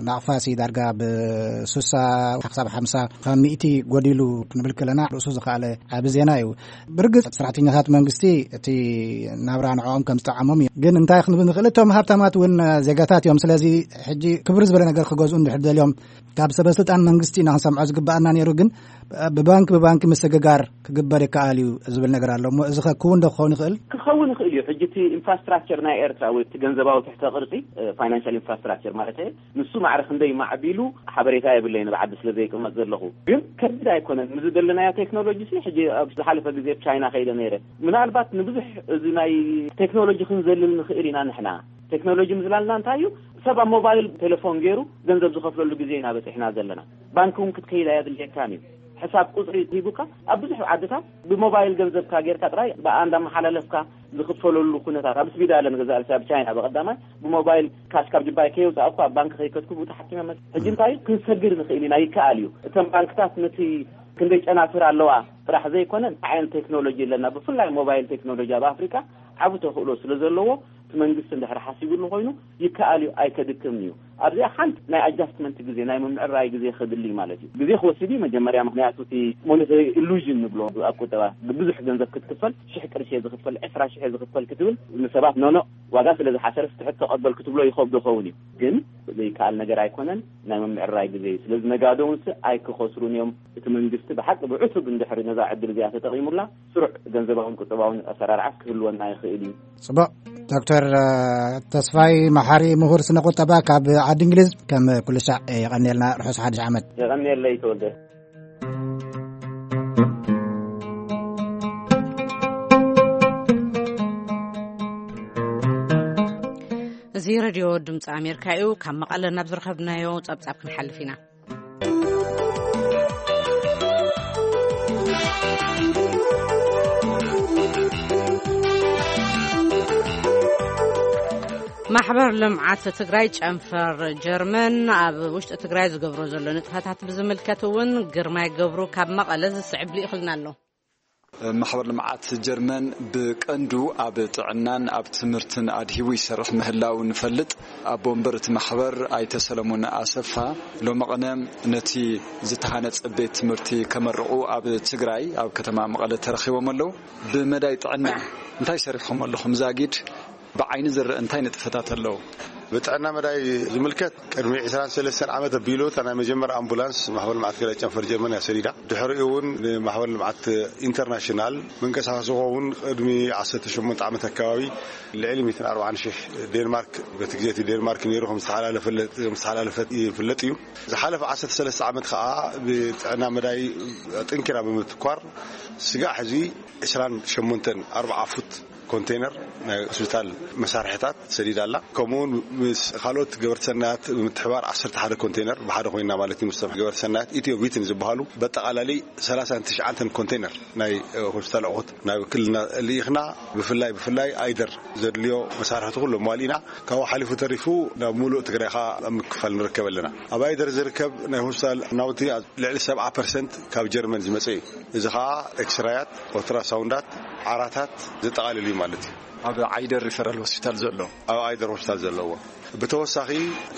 ናቕፋ ሲ ዳርጋ ብስሳ ክሳብ ሓምሳ ካብ ሚእቲ ጎዲሉ ክንብል ከለና ርእሱ ዝኸኣለ ዓቢ ዜና እዩ። ብርግጽ ሰራሕተኛታት መንግስቲ እቲ ናብራ ንዕኦም ከም ዝጠዓሞም እዩ። ግን እንታይ ክንብል ንኽእል፣ እቶም ሃብታማት እውን ዜጋታት እዮም። ስለዚ ሕጂ ክብር ዝበለ ነገር ክገዝኡ እንድሕር ደልዮም፣ ካብ ሰበ ስልጣን መንግስቲ ኢና ክንሰምዖ ዝግባኣና ነይሩ። ግን ብባንክ ብባንክ ምስግጋር ክግበር ይከኣል እዩ ዝብል ነገር ኣሎ። እሞ እዚ ከ ክውን ዶ ክኸውን ይኽእል? ክኸውን ይኽእል እዩ። ሕጂ እቲ ኢንፍራስትራክቸር ናይ ኤርትራ ወይ እቲ ገንዘባዊ ትሕተ ቅርጺ፣ ፋይናንሻል ኢንፍራስትራክቸር ማለት እዩ፣ ንሱ ማዕረ ክንደይ ማዕቢሉ ሓበሬታ የብለይን፣ ኣብ ዓዲ ስለ ዘይቅመጥ ዘለኹ። ግን ከቢድ ኣይኮነን። ምስ ዘለናዮ ቴክኖሎጂ ሲ፣ ሕጂ ኣብ ዝሓለፈ ግዜ ኣብ ቻይና ከይደ ነይረ። ምናልባት ንብዙሕ እዚ ናይ ቴክኖሎጂ ክንዘልል ንኽእል ኢና ንሕና። ቴክኖሎጂ ምዝላልና እንታይ እዩ? ሰብ ኣብ ሞባይል ቴሌፎን ገይሩ ገንዘብ ዝኸፍለሉ ግዜ ኢና በፂሕና ዘለና። ባንክ እውን ክትከይድ ኣየድልየካን እዩ። ሕሳብ ቁፅሪ ሂቡካ ኣብ ብዙሕ ዓድታት ብሞባይል ገንዘብካ ጌርካ ጥራይ ብኣ እንዳመሓላለፍካ ዝኽፈለሉ ኩነታት ኣብ ስዊዳለን ገዛ ርሲ ኣብ ቻይና ብቐዳማይ ብሞባይል ካሽ ካብ ጅባይ ከየውፃእኩ ኣብ ባንክ ከይከትኩ ብኡ ተሓኪመ መፅእ። ሕጂ እንታይ እዩ? ክንሰግር ንኽእል ኢና፣ ይከኣል እዩ። እተን ባንክታት ነቲ ክንደይ ጨናፍር ኣለዋ ጥራሕ ዘይኮነ እንታይ ዓይነት ቴክኖሎጂ ኣለና፣ ብፍላይ ሞባይል ቴክኖሎጂ ኣብ ኣፍሪካ ዓቢ ተኽእሎ ስለ ዘለዎ እቲ መንግስቲ እንድሕር ሓሲብሉ ኮይኑ ይከኣል እዩ፣ ኣይከድክምን እዩ። ኣብዚኣ ሓንቲ ናይ ኣጃስትመንት ግዜ፣ ናይ ምምዕራይ ግዜ ክድሊ ማለት እዩ። ግዜ ክወስድ እዩ መጀመርያ፣ ምክንያቱ እቲ ሞኔታሪ ኢሉዥን ንብሎ ኣብ ቁጠባ ብብዙሕ ገንዘብ ክትክፈል፣ ሽሕ ቅርሺ እየ ዝኽፈል፣ ዕስራ ሽሕ እየ ዝኽፈል ክትብል ንሰባት ኖኖ ዋጋ ስለ ዝሓሰረ ትሕት ተቐበል ክትብሎ ይኸብዶ ኸውን እዩ። ግን ዘይከኣል ነገር ኣይኮነን፣ ናይ ምምዕራይ ግዜ እዩ። ስለዚ ነጋዶ እውን ስ ኣይክኸስሩን እዮም። እቲ መንግስቲ ብሓቂ ብዕቱብ እንድሕሪ ነዛ ዕድል እዚኣ ተጠቒሙላ ስሩዕ ገንዘባውን ቁጠባውን ኣሰራርዓት ክህልወና ይኽእል እዩ። ጽቡቕ። ዶክተር ተስፋይ መሓሪ፣ ምሁር ስነ ቁጠባ ካብ ዓዲ እንግሊዝ፣ ከም ኩሉ ሻዕ የቐንየልና። ርሑስ ሓድሽ ዓመት። የቐንየለይ ተወልደ። እዚ ሬድዮ ድምፂ ኣሜሪካ እዩ። ካብ መቐለ ናብ ዝረኸብናዮ ጸብጻብ ክንሓልፍ ኢና። ማሕበር ልምዓት ትግራይ ጨንፈር ጀርመን ኣብ ውሽጢ ትግራይ ዝገብሮ ዘሎ ንጥፈታት ብዝምልከት እውን ግርማይ ገብሩ ካብ መቐለ ዝስዕብ ልኢኽልና ኣሎ። ማሕበር ልምዓት ጀርመን ብቀንዱ ኣብ ጥዕናን ኣብ ትምህርትን ኣድሂቡ ይሰርሕ ምህላው ንፈልጥ። ኣቦ ወንበር እቲ ማሕበር ኣይተ ሰለሞን ኣሰፋ ሎሚ ቅነ ነቲ ዝተሃነጸ ቤት ትምህርቲ ከመርቑ ኣብ ትግራይ ኣብ ከተማ መቐለ ተረኺቦም ኣለዉ። ብመዳይ ጥዕና እንታይ ሰሪሕኹም ኣለኹም? ዛጊድ ብዓይኒ ዝረአ እንታይ ንጥፈታት ኣለዉ? ብጥዕና መዳይ ዝምልከት ቅድሚ ዕስራን ሰለስተን ዓመት ኣቢሉ እታ ናይ መጀመርያ ኣምቡላንስ ማሕበር ልምዓት ትግራይ ጨንፈር ጀርመን እያ ሰዲዳ። ድሕሪኡ እውን ንማሕበር ልምዓት ኢንተርናሽናል መንቀሳቐሲ ክኸውን ቅድሚ ዓሰርተ ሸሞንተ ዓመት ኣካባቢ ልዕሊ ሚእትን ኣርባዓን ሽሕ ዴንማርክ፣ በቲ ግዜ እቲ ዴንማርክ ነይሩ ከም ዝተሓላለፈ፣ ከም ዝተሓላለፈ ይፍለጥ እዩ። ዝሓለፈ ዓሰርተ ሰለስተ ዓመት ከዓ ብጥዕና መዳይ ኣጠንኪራ ብምትኳር ስጋዕ ሕዚ ዕስራን ሸሞንተን ኣርብዓ ፉት ኮንቴነር ናይ ሆስፒታል መሳርሕታት ሰዲዳ ኣላ። ከምኡውን ምስ ካልኦት ገበርቲ ሰናያት ብምትሕባር ዓሰርተ ሓደ ኮንቴነር ብሓደ ኮይና ማለት እዩ። ምስ ገበርቲ ሰናያት ኢትዮ ቪትን ዝበሃሉ በጠቓላሊ ሰላሳን ትሽዓተን ኮንቴነር ናይ ሆስፒታል ኣቑሑት ናብ ክልልና ልኢኽና። ብፍላይ ብፍላይ ኣይደር ዘድልዮ መሳርሕቲ ኩሉ ኣሟሊእና። ካብኡ ሓሊፉ ተሪፉ ናብ ሙሉእ ትግራይ ከዓ ኣብ ምክፋል ንርከብ ኣለና። ኣብ ኣይደር ዝርከብ ናይ ሆስፒታል ናውቲ ልዕሊ ሰብዓ ፐርሰንት ካብ ጀርመን ዝመፀ እዩ። እዚ ከዓ ኤክስራያት፣ ኦልትራሳውንዳት፣ ዓራታት ዘጠቓልል እዩ ማለት እዩ። ኣብ ዓይደር ሪፈራል ሆስፒታል ዘሎ ኣብ ኣይደር ሆስፒታል ዘለዎ። ብተወሳኺ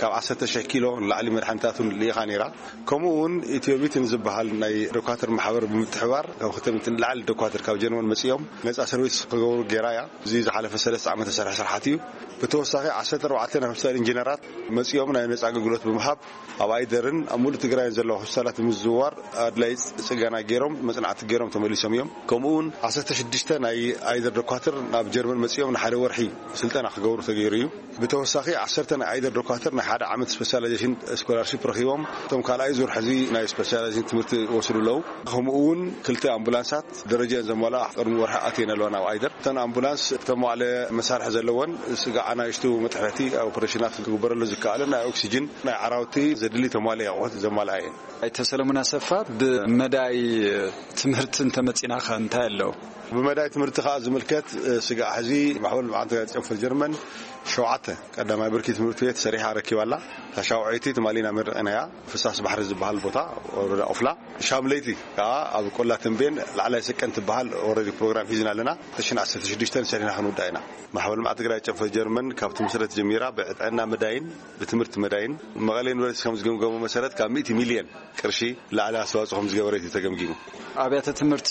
ካብ ዓሰርተ ሺሕ ኪሎ ንላዕሊ መድሓኒታት እውን ልኢኻ ነይራ። ከምኡ እውን ኢትዮቢትን ዝበሃል ናይ ዶኳትር ማሕበር ብምትሕባር ካብ ክልተ ሚእቲ ንላዕሊ ዶኳትር ካብ ጀርመን መፂኦም ነፃ ሰርቪስ ክገብሩ ገይራ እያ። እዚ ዝሓለፈ ሰለስተ ዓመት ዝሰርሐ ስራሕቲ እዩ። ብተወሳኺ ዓሰርተ ኣርባዕተ ናይ ሆስፒታል ኢንጂነራት መፂኦም ናይ ነፃ ኣገልግሎት ብምሃብ ኣብ ኣይደርን ኣብ ሙሉእ ትግራይን ዘለዋ ሆስፒታላት ብምዝውዋር ኣድላይ ፅገና ገይሮም መፅናዕቲ ገይሮም ተመሊሶም እዮም። ከምኡ እውን ዓሰርተ ሽዱሽተ ናይ ኣይደር ዶኳትር ናብ ጀርመን መፂኦም ንሓደ ወርሒ ስልጠና ክገብሩ ተገይሩ እዩ። ብተወሳኺ ዓሰርተ ናይ ኣይደር ዶኳትር ናይ ሓደ ዓመት ስፔሻላይዜሽን ስኮላርሺፕ ረኺቦም እቶም ካልኣይ ዙር ሕዚ ናይ ስፔሻላይዜሽን ትምህርቲ ይወስዱ ኣለዉ። ከምኡ እውን ክልተ ኣምቡላንሳት ደረጃን ዘመልኣ ቅድሚ ወርሒ ኣትየን ኣለዋ ናብ ኣይደር። እተን ኣምቡላንስ እተማዕለ መሳርሒ ዘለወን ስጋዕ ኣናእሽቱ መጥሕቲ ኦፕሬሽናት ክግበረሉ ዝከኣልን ናይ ኦክሲጅን ናይ ዓራውቲ ዘድሊ ተማልኢ ኣቑሑት ዘማልኣ እየን። ኣይተ ሰለሙን ኣሰፋ፣ ብመዳይ ትምህርቲ እንተመፂናኸ እንታይ ኣለዉ? ብመዳይ ትምህርቲ ከዓ ዝምልከት ስጋዕ ሕዚ ማሕበር ልምዓት ጨንፈር ጀርመን ሸውዓተ ቀዳማይ ብርኪ ትምህርቲ ቤት ሰሪሓ ረኪባላ። ታሻውዐይቲ ትማሊ ኢና መርቕናያ። ፍሳስ ባሕሪ ዝበሃል ቦታ ወረዳ ኦፍላ ሻምለይቲ ከዓ ኣብ ቆላ ተንቤን ላዕላይ ሰቀን ትበሃል ኦረዲ ፕሮግራም ሒዝና ኣለና። ተሽን ዓሰርተ ሽዱሽተ ሰሪሕና ክንውዳ ኢና። ማሕበር ልምዓት ትግራይ ጨንፈር ጀርመን ካብ ትምስረት ጀሚራ ብጥዕና መዳይን ብትምህርቲ መዳይን መቐለ ዩኒቨርሲቲ ከም ዝገምገሞ መሰረት ካብ ሚእቲ ሚልዮን ቅርሺ ላዕሊ ኣስተዋፅኦ ከም ዝገበረት እዩ ተገምጊሙ። ኣብያተ ትምህርቲ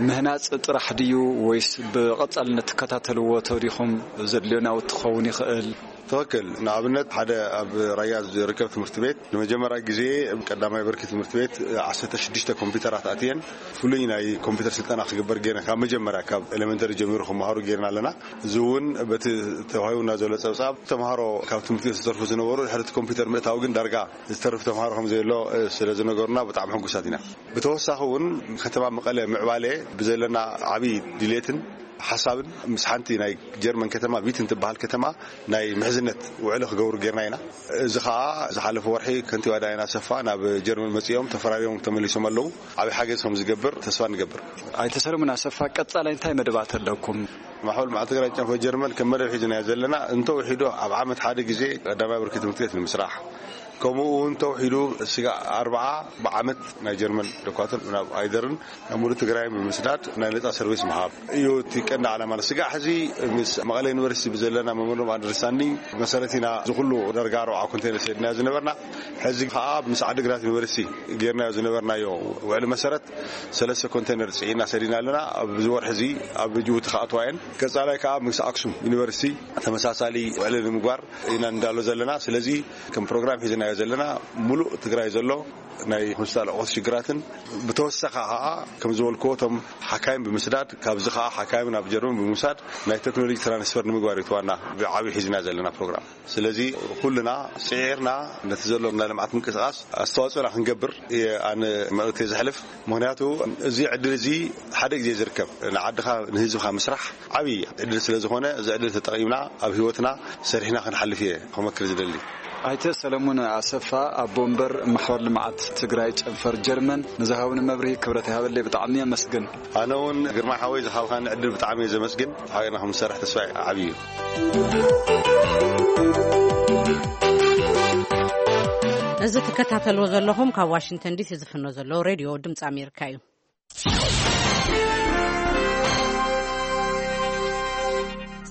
ምህናፅ ጥራሕ ድዩ ወይስ ብቐፃልነት ትከታተልዎ ተሪኹም ዘድልዮ ናውቲ ክኸውን ይኽእል? ትኽክል። ንኣብነት ሓደ ኣብ ራያ ዝርከብ ትምህርቲ ቤት ንመጀመርያ ግዜ ቀዳማይ ብርኪ ትምህርቲ ቤት ዓሰርተ ሽዱሽተ ኮምፒውተራት ኣትየን ፍሉይ ናይ ኮምፒውተር ስልጠና ክግበር ገይረን ካብ መጀመርያ ካብ ኤሌመንተሪ ጀሚሩ ክመሃሩ ገይርና ኣለና። እዚ እውን በቲ ተዋሂቡና ዘሎ ፀብፃብ ተምሃሮ ካብ ትምህርቲ ዝተርፉ ዝነበሩ ድሕሪ እቲ ኮምፒውተር ምእታው ግን ዳርጋ ዝተርፍ ተምሃሮ ከም ዘየሎ ስለ ዝነገሩና ብጣዕሚ ሕጉሳት ኢና። ብተወሳኺ እውን ከተማ መቐለ ምዕባለ ብዘለና ዓብዪ ድሌትን ሓሳብን ምስ ሓንቲ ናይ ጀርመን ከተማ ቪትን ትበሃል ከተማ ናይ ምሕዝነት ውዕሊ ክገብሩ ጌርና ኢና። እዚ ከዓ ዝሓለፈ ወርሒ ከንቲባ ዳይና ሰፋ ናብ ጀርመን መፂኦም ተፈራሪሞም ተመሊሶም ኣለዉ። ዓብዪ ሓገዝ ከም ዝገብር ተስፋ ንገብር። ኣይተ ሰለሙን ኣሰፋ፣ ቀፃላይ እንታይ መደባት ኣለኩም? ማሕበር ልምዓት ትግራይ ጨንፈር ጀርመን ከም መደብ ሒዝናዮ ዘለና እንተውሒዱ ኣብ ዓመት ሓደ ግዜ ቀዳማይ ብርኪ ትምህርቲ ቤት ንምስራሕ፣ ከምኡ እውን ተውሒዱ ስጋዕ ኣርብዓ ብዓመት ናይ ጀርመን ዶኳትር ናብ ኣይደርን ናብ ሙሉእ ትግራይን ብምስዳድ ናይ ነፃ ሰርቪስ ምሃብ እዩ እቲ ቀንዲ ዓላማ። ስጋዕ ሕዚ ምስ መቐለ ዩኒቨርሲቲ ብዘለና መሞንዶም ኣንደርስታንዲንግ መሰረት ኢና እዚ ኩሉ ዳርጋ ኣርብዓ ኮንቴነር ሰዲናዮ ዝነበርና። ሕዚ ከዓ ምስ ዓዲግራት ዩኒቨርሲቲ ጌርናዮ ዝነበርናዮ ውዕሊ መሰረት ሰለስተ ኮንቴነር ፅዒና ሰዲና ኣለና። ኣብዚ ወርሒ እዚ ኣብ ጅቡቲ ክኣትዋ እየን። ቀፃላይ ከዓ ምስ ኣክሱም ዩኒቨርሲቲ ተመሳሳሊ ውዕሊ ንምግባር ኢና እንዳሎ ዘለና። ስለዚ ከም ፕሮግራም ሒዝናዮ ዘለና ሙሉእ ትግራይ ዘሎ ናይ ሆስፒታል ኣቑሑት ሽግራትን ብተወሳኺ ከዓ ከም ዝበልክዎ እቶም ሓካይም ብምስዳድ ካብዚ ከዓ ሓካይም ናብ ጀርመን ብምውሳድ ናይ ቴክኖሎጂ ትራንስፈር ንምግባር እዩ እቲ ዋና ብዓብዪ ሒዝና ዘለና ፕሮግራም። ስለዚ ኩልና ስዒርና ነቲ ዘሎ ናይ ልምዓት ምንቅስቃስ ኣስተዋፅኦና ክንገብር እየ ኣነ መልእክተይ ዘሕልፍ። ምኽንያቱ እዚ ዕድል እዚ ሓደ ግዜ ዝርከብ ንዓድኻ ንህዝብኻ ምስራሕ ዓብዪ ዕድል ስለ ዝኾነ እዚ ዕድል ተጠቒምና ኣብ ህይወትና ሰሪሕና ክንሓልፍ እየ ክመክር ዝደሊ። ኣይተ ሰለሙን ኣሰፋ፣ ኣቦ ወንበር ማሕበር ልምዓት ትግራይ ጨንፈር ጀርመን፣ ንዝሃብኒ መብርሂ ክብረት ይሃበለይ፣ ብጣዕሚ የመስግን። ኣነ እውን ግርማ ሓወይ ዝሃብካኒ ዕድል ብጣዕሚ እየ ዘመስግን። ሓቢርና ከም ንሰርሕ ተስፋ ዓብዪ እዩ። እዚ ትከታተልዎ ዘለኹም ካብ ዋሽንግተን ዲሲ ዝፍኖ ዘሎ ሬድዮ ድምፂ ኣሜሪካ እዩ።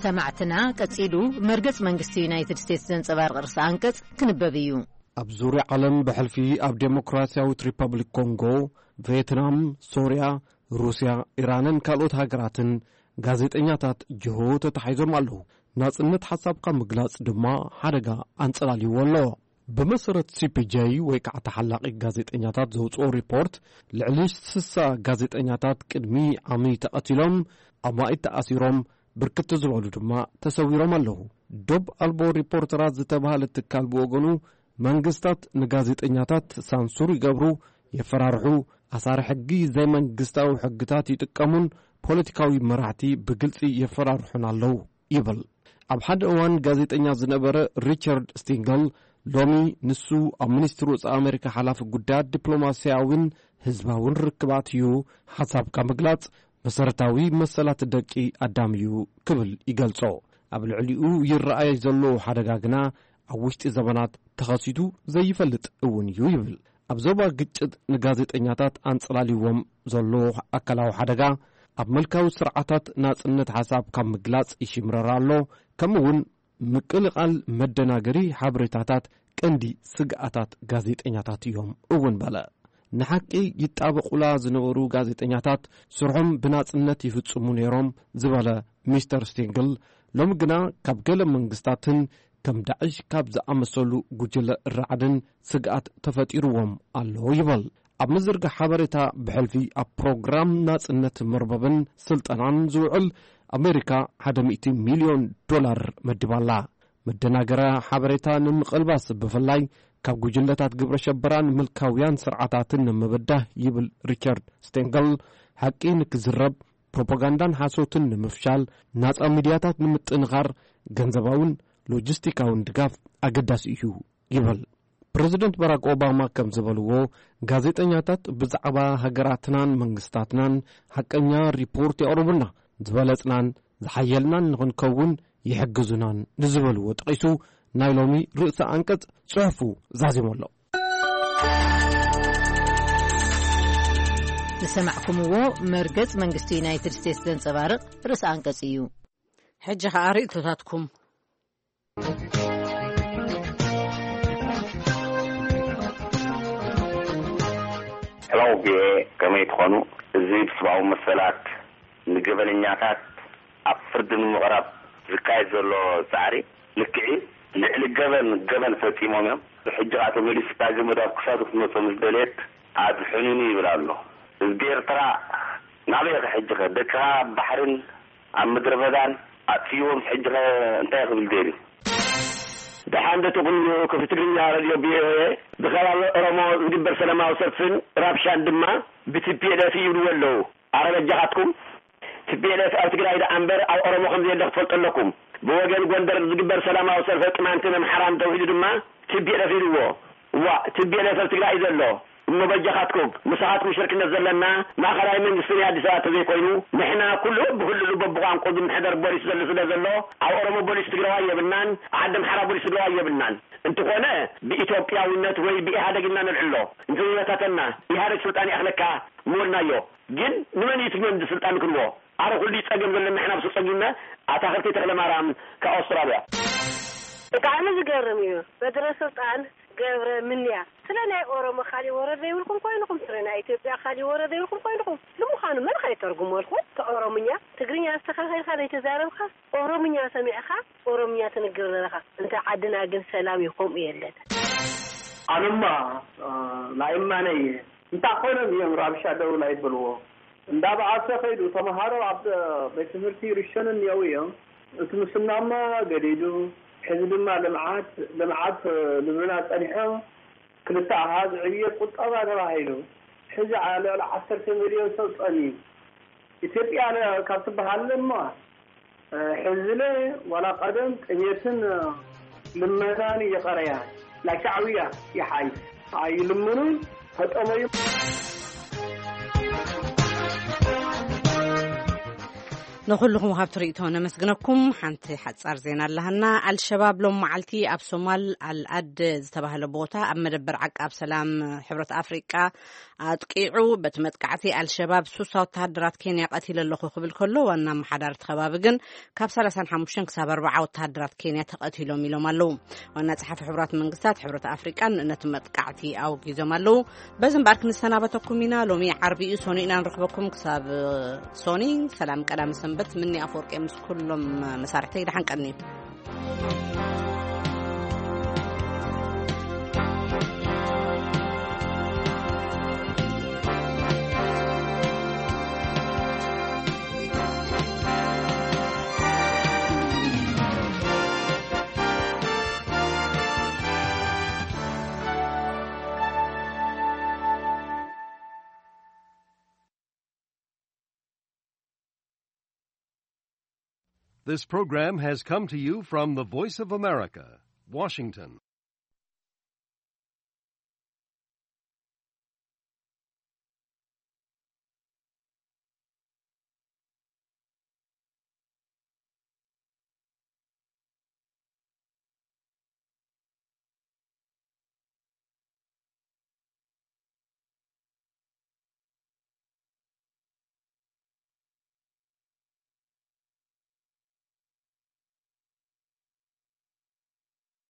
ሰማዕትና፣ ቀጺሉ መርገጽ መንግስቲ ዩናይትድ ስቴትስ ዘንጸባርቕ ርእሰ ኣንቀጽ ክንበብ እዩ። ኣብ ዙርያ ዓለም ብሕልፊ ኣብ ዴሞክራሲያዊት ሪፐብሊክ ኮንጎ፣ ቬትናም፣ ሶርያ፣ ሩስያ፣ ኢራንን ካልኦት ሃገራትን ጋዜጠኛታት ጅሆ ተታሒዞም ኣለዉ። ናጽነት ሓሳብካ ምግላጽ ድማ ሓደጋ ኣንጸላልይዎ ኣሎ። ብመሰረት ሲ ፒ ጄ ወይ ከዓ ተሓላቒ ጋዜጠኛታት ዘውፅኦ ሪፖርት፣ ልዕሊ ስሳ ጋዜጠኛታት ቅድሚ ዓሚ ተቐቲሎም፣ ኣማኢት ተኣሲሮም፣ ብርክት ዝበሉ ድማ ተሰዊሮም ኣለዉ። ዶብ ኣልቦ ሪፖርተራት ዝተባህለ ትካል ብወገኑ፣ መንግስታት ንጋዜጠኛታት ሳንሱር ይገብሩ፣ የፈራርሑ፣ ኣሳሪ ሕጊ ዘይመንግስታዊ ሕግታት ይጥቀሙን ፖለቲካዊ መራሕቲ ብግልጺ የፈራርሑና ኣለዉ ይብል። ኣብ ሓደ እዋን ጋዜጠኛ ዝነበረ ሪቻርድ ስቲንገል፣ ሎሚ ንሱ ኣብ ሚኒስትሪ ወጻኢ ኣሜሪካ ሓላፊ ጉዳያት ዲፕሎማስያዊን ህዝባውን ርክባት እዩ። ሓሳብካ ምግላጽ መሰረታዊ መሰላት ደቂ ኣዳም እዩ ክብል ይገልጾ። ኣብ ልዕሊኡ ይረኣይ ዘሎ ሓደጋ ግና ኣብ ውሽጢ ዘመናት ተኸሲቱ ዘይፈልጥ እውን እዩ ይብል። ኣብ ዞባ ግጭት ንጋዜጠኛታት ኣንጸላልይዎም ዘሎ ኣካላዊ ሓደጋ፣ ኣብ መልካዊ ስርዓታት ናጽነት ሓሳብ ካብ ምግላጽ ይሽምረር ኣሎ፣ ከምኡ እውን ምቅልቓል መደናገሪ ሓበሬታታት ቀንዲ ስግኣታት ጋዜጠኛታት እዮም እውን በለ። ንሓቂ ይጣበቑላ ዝነበሩ ጋዜጠኛታት ስርሖም ብናጽነት ይፍጽሙ ነይሮም ዝበለ ሚስተር ስቲንግል፣ ሎሚ ግና ካብ ገለ መንግስታትን ከም ዳዕሽ ካብ ዝኣመሰሉ ጉጅለ ራዕድን ስግኣት ተፈጢርዎም ኣሎ ይበል። ኣብ ምዝርጋሕ ሓበሬታ ብሕልፊ ኣብ ፕሮግራም ናጽነት መርበብን ስልጠናን ዝውዕል ኣሜሪካ ሓደ ሚእቲ ሚልዮን ዶላር መዲባላ። መደናገራ ሓበሬታ ንምቕልባስ ብፍላይ ካብ ጉጅለታት ግብረ ሸበራን ምልካውያን ስርዓታትን ንምብዳህ ይብል ሪቻርድ ስቴንገል፣ ሓቂ ንክዝረብ፣ ፕሮፓጋንዳን ሓሶትን ንምፍሻል፣ ናጻ ሚድያታት ንምጥንኻር፣ ገንዘባውን ሎጂስቲካውን ድጋፍ ኣገዳሲ እዩ ይብል። ፕረዚደንት ባራክ ኦባማ ከም ዝበልዎ፣ ጋዜጠኛታት ብዛዕባ ሃገራትናን መንግስታትናን ሓቀኛ ሪፖርት የቕርቡልና፣ ዝበለጽናን ዝሓየልናን ንኽንከውን ይሕግዙናን ንዝበልዎ ጠቒሱ፣ ናይ ሎሚ ርእሰ ኣንቀጽ ጽሑፉ ዛዚሙ ኣሎ። ዝሰማዕኩምዎ መርገጽ መንግስቲ ዩናይትድ ስቴትስ ዘንጸባርቕ ርእሰ ኣንቀጽ እዩ። ሕጂ ኸኣ ርእይቶታትኩም። ሕማሙ ቪኦኤ ከመይ ትኾኑ? እዚ ብሰብኣዊ መሰላት ንገበነኛታት ኣብ ፍርዲ ንምቕራብ ዝካየድ ዘሎ ጻዕሪ ልክዕ እዩ። ልዕሊ ገበን ገበን ፈጺሞም እዮም። ሕጂ ኸኣ ተመሊሱ ዳግም ኣብ ክሳዱ ክትመጾ ምስ ደልየት ኣድሕኑኒ ይብል ኣሎ። ህዝቢ ኤርትራ ናበይ ኢኻ ሕጂ ኸ? ደቅኻ ኣብ ባሕርን ኣብ ምድረ በዳን ኣጥፊእዎም ሕጂ ኸ እንታይ ክብል ደልዩ? ደሓን ዶ ትኹኑ? ክፍሊ ትግርኛ ሬድዮ ቪኦኤ፣ ብኸባቢ ኦሮሞ ዝግበር ሰላማዊ ሰልፍን ራብሻን ድማ ብቲፒኤልኤፍ ይብልዎ ኣለዉ። ኣረ በጃኻትኩም፣ ቲፒኤልኤፍ ኣብ ትግራይ ደኣ እምበር ኣብ ኦሮሞ ከም ዘየለ ክትፈልጡ ኣለኩም። ብወገን ጎንደር ዝግበር ሰላማዊ ሰልፊ ቅማንትን ኣምሓራን ተውሒዱ ድማ ቲፒኤልኤፍ ኢልዎ። እዋእ፣ ቲፒኤልኤፍ ኣብ ትግራይ እዩ ዘሎ። እሞ በጃኻትኩም፣ ምሳኻትኩም ሽርክነት ዘለና ማእኸላይ መንግስቲ ናይ ኣዲስ ኣበባ ተዘይኮይኑ፣ ንሕና ኩሉ ብክልሉ በብቋንቋ ዝምሕደር ቦሊስ ዘሎ ስለ ዘሎ፣ ኣብ ኦሮሞ ቦሊስ ትግራዋይ የብልናን፣ ኣብ ዓዲ ኣምሓራ ቦሊስ ትግራዋይ የብልናን። እንተኾነ ብኢትዮጵያውነት ወይ ብኢህኣደግ ኢልና ነልዕሎ። እንተዘይበታተና፣ ኢህኣደግ ስልጣን ይኣኽለካ ምበልናዮ። ግን ንመን እዩ እቲ መንዲ ስልጣን ክንቦ? ኣረ ኩሉ ጸገም ዘለና ንሕና ብሱ ጸጊምና። ኣታኽልቲ ተኽለ ማርያም ካብ ኣውስትራልያ። ብጣዕሚ ዝገርም እዩ። በድረ ስልጣን ገብረ ምንያ ስለ ናይ ኦሮሞ ካሊእ ወረ ዘይብልኩም ኮይንኹም፣ ስለ ናይ ኢትዮጵያ ካሊእ ወረ ዘይብልኩም ኮይንኹም። ንምዃኑ መን ኸይተርጉመልኩም? እቲ ኦሮምኛ ትግርኛ ኣስተኻኺልካ ዘይተዛረብካ፣ ኦሮምኛ ሰሚዕኻ ኦሮምኛ ትንግር ዘለኻ። እንተ ዓድና ግን ሰላም እዩ፣ ከምኡ የለን። ኣነማ፣ እ፣ ናይ እማነ እየ። እንታይ ኮይኖም እዮም ራብሻ ደው ናይ በልዎ? እንዳበኣሰ ከይዱ ተምሃሮ ኣብ ቤት ትምህርቲ ይርሸኑ እኒአው እዮም። እቲ ምስናማ ገዲዱ፣ ሕዚ ድማ ልምዓት፣ ልምዓት፣ እ፣ ልብልና ጸኒሖ። ክልተ ኣሃዝ ዕብየት ቁጠባ ተባሂሉ። ሕዚ ዓ-፣ ልዕሊ ዓሰርተ ሚልዮን ሰብ ጸንዩ። ኢትዮጵያ ለ-፣ ካብ ትበሃል እሞ፣ እ፣ ሕዚ ለ ዋላ ቀደም ጥሜትን፣ እ፣ ልመናን እየቐረያ። ናይ ሻዕብያ ይሓይ። ኣይልምኑን፣ ተጠመዩ። ንኹልኹም ሃብቲ ርእይቶ ነመስግነኩም። ሓንቲ ሓጻር ዜና ኣለሃና። ኣልሸባብ ሎም መዓልቲ ኣብ ሶማል ኣልኣድ ዝተባህለ ቦታ ኣብ መደበር ዓቃብ ሰላም ሕብረት ኣፍሪቃ ኣጥቂዑ። በቲ መጥቃዕቲ ኣልሸባብ ሱሳ ወተሃደራት ኬንያ ቀቲለ ኣለኹ ክብል ከሎ፣ ዋና ኣመሓዳሪ እቲ ከባቢ ግን ካብ ሰላሳን ሓሙሽተን ክሳብ ኣርባዓ ወተሃደራት ኬንያ ተቐቲሎም ኢሎም ኣለዉ። ዋና ጸሓፊ ሕቡራት መንግስታት፣ ሕብረት ኣፍሪቃን ነቲ መጥቃዕቲ ኣውጊዞም ኣለዉ። በዚ እምበኣር ክንሰናበተኩም ኢና። ሎሚ ዓርቢ እዩ፣ ሶኒ ኢና ንረኽበኩም። ክሳብ ሶኒ ሰላም ቀዳመ ሰንበት። ምኒ ኣፈወርቂ ምስ ኩሎም መሳርሕተይ ደሓን ቀንዩ። This program has come to you from the Voice of America, Washington.